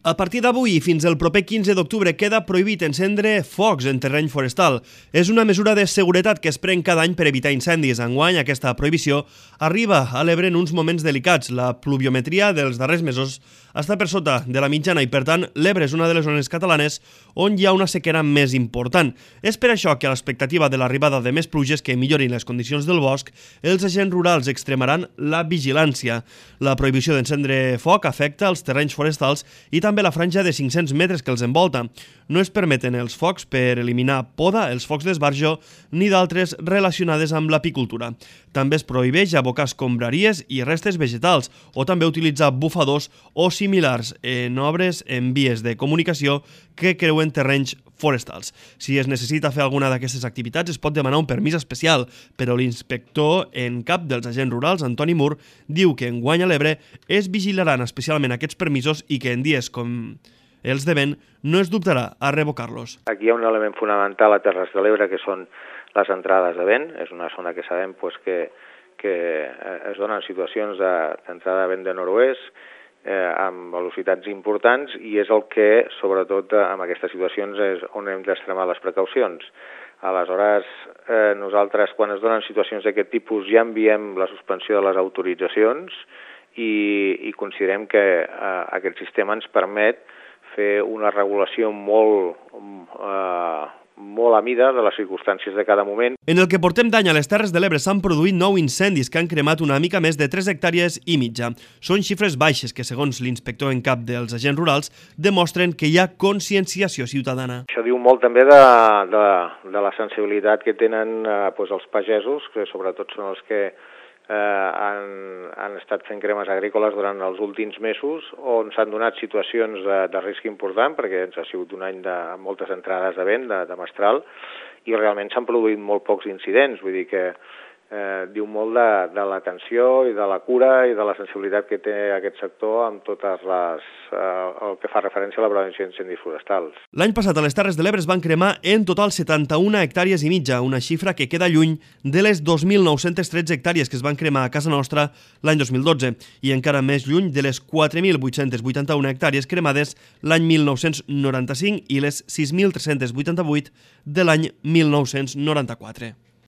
A partir d'avui i fins el proper 15 d'octubre queda prohibit encendre focs en terreny forestal. És una mesura de seguretat que es pren cada any per evitar incendis. Enguany, aquesta prohibició arriba a l'Ebre en uns moments delicats. La pluviometria dels darrers mesos està per sota de la mitjana i, per tant, l'Ebre és una de les zones catalanes on hi ha una sequera més important. És per això que, a l'expectativa de l'arribada de més pluges que millorin les condicions del bosc, els agents rurals extremaran la vigilància. La prohibició d'encendre foc afecta els terrenys forestals i també la franja de 500 metres que els envolta. No es permeten els focs per eliminar poda, els focs d'esbarjo ni d'altres relacionades amb l'apicultura. També es prohibeix abocar escombraries i restes vegetals o també utilitzar bufadors o similars en obres en vies de comunicació que creuen terrenys forestals. Si es necessita fer alguna d'aquestes activitats es pot demanar un permís especial, però l'inspector en cap dels agents rurals, Antoni Mur, diu que enguany a l'Ebre es vigilaran especialment aquests permisos i que en dies com els de vent no es dubtarà a revocar-los. Aquí hi ha un element fonamental a Terres de l'Ebre que són les entrades de vent. És una zona que sabem que es donen situacions d'entrada de vent de nord-oest amb velocitats importants i és el que, sobretot en aquestes situacions, és on hem d'extremar les precaucions. Aleshores, nosaltres, quan es donen situacions d'aquest tipus, ja enviem la suspensió de les autoritzacions i considerem que aquest sistema ens permet fer una regulació molt a mida de les circumstàncies de cada moment. En el que portem d'any a les Terres de l'Ebre s'han produït 9 incendis que han cremat una mica més de 3 hectàrees i mitja. Són xifres baixes que, segons l'inspector en cap dels agents rurals, demostren que hi ha conscienciació ciutadana. Això diu molt també de la sensibilitat que tenen els pagesos, que sobretot són els que han estat fent cremes agrícoles durant els últims mesos, on s'han donat situacions de risc important, perquè ens ha sigut un any amb moltes entrades de vent, de mestral, i realment s'han produït molt pocs incidents, vull dir que diu molt de l'atenció i de la cura i de la sensibilitat que té aquest sector amb totes el que fa referència a la prevenció d'incendis forestals. L'any passat a les Terres de l'Ebre es van cremar en total 71 hectàrees i mitja, una xifra que queda lluny de les 2.913 hectàrees que es van cremar a casa nostra l'any 2012 i encara més lluny de les 4.881 hectàrees cremades l'any 1995 i les 6.388 de l'any 1994.